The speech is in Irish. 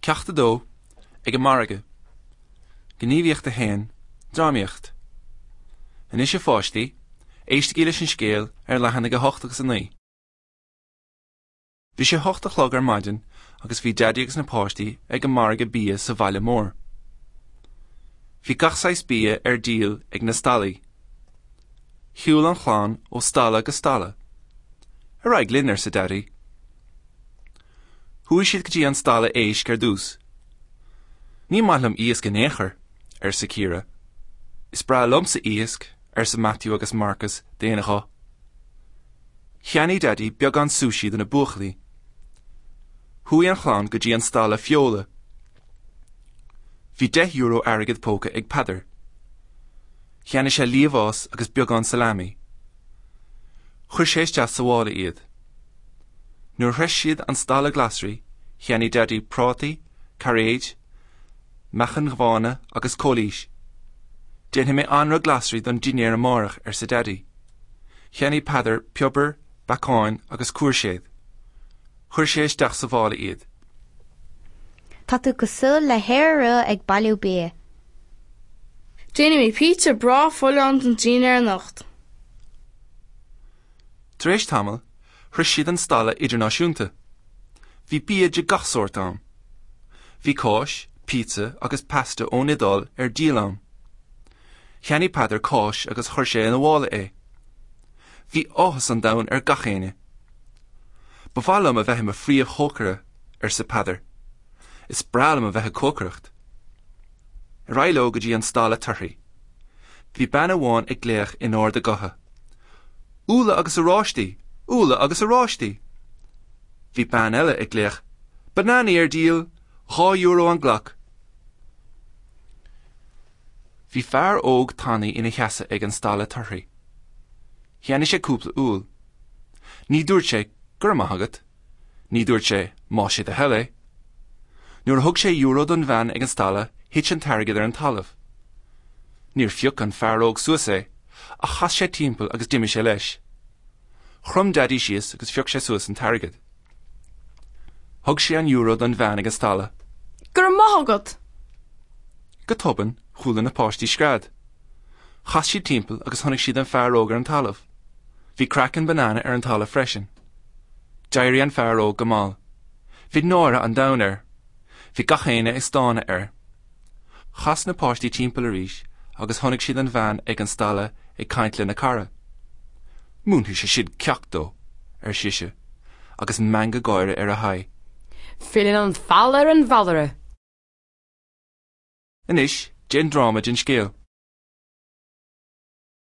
Ceacht 2, Ag an Margadh. Gníomhaíocht 1, Drámaíocht. Anois a pháistí, éistigí leis an scéal ar leathanaigh 8 agus 9. Bhí sé 8 a chlog ar maidin agus bhí Daidí agus na páistí ag an margadh bia sa bhaile mór. Bhí gach saghas bia ar díol ag na stallaí. Shiúil an chlann ó stalla go stalla. Ar aghaidh linn, arsa Daidí. Chuaigh siad go dtí an stalla éisc ar dtús. Ní maith liom iasc in aon chor, arsa Ciara. Is breá liomsa iasc, arsa Matthew agus Marcus d'aon ghuth. Cheannaigh Daidí beagán sushi do na buachaillí. Chuaigh an chlann go dtí an stalla feola. Bhí €10 airgead póca ag Peadar. Cheannaigh sé liamhás agus beagán salami. Chuir sé isteach sa mhála iad. Nuair a shroich siad an stalla glasraí, cheannaigh Daidí prátaí, cairéid, meachain bhána agus cóilís. Déanfaidh mé anraith glasraí don dinnéar amárach, arsa Daidí. Cheannaigh Peadar piobar, beacáin agus cúirséad. Chuir sé isteach sa mhála iad. Tá tú cosúil le hiora rua ag bailiú bia. Déanfaidh mé pizza breá folláin don dinnéar anocht. Tar éis tamaill, shroich siad an stalla idirnáisiúnta. Bhí bia de gach sórt ann. Bhí cáis, pizza agus pasta ón Iodáil ar díol ann. Cheannaigh Peadar cáis agus chuir sé ina mhála é. Bhí áthas an domhain ar gach éinne. Ba mhaith liom a bheith i mo phríomh-chócaire, arsa Peadar. Is breá liom a bheith ag cócaireacht. Ar aghaidh leo go dtí an stalla torthaí. Bhí bean amháin ag glaoch in ard a gutha, Úlla agus oráistí! Úlla agus oráistí! Bhí bean eile ag glaoch, Bananaí ar díol! €2 an glac! Bhí fear óg tanaí ina sheasamh ag an stalla torthaí. Cheannaigh sé cúpla úll. Ní dúirt sé, Go raibh maith agat. Ní dúirt sé, Más é do thoil é. Nuair a thug sé euro don bhean ag an stalla, thit an t-airgead ar an talamh. Níor phioc an fear óg suas é, ach chas sé timpeall agus d'imigh sé leis. Chrom Daidí síos agus phioc sé suas an t-airgead. Thug sé an euro don bhean ag an stalla. Go raibh maith agat! Go tobann, chuala na páistí scread. Chas siad timpeall agus chonaic siad an fear óg ar an talamh. Bhí craiceann banana ar an talamh freisin. D'éirigh an fear óg go mall. Bhí náire an domhain air. Bhí gach éinne ag stánadh air. Chas na páistí timpeall arís agus chonaic siad an bhean ag an stalla ag caint lena cara. Múinfidh sé sin ceacht dó, ar sise, agus meangadh gáire ar a haghaidh. Filleann an feall ar an bhfeallaire. Anois, déan dráma den scéal.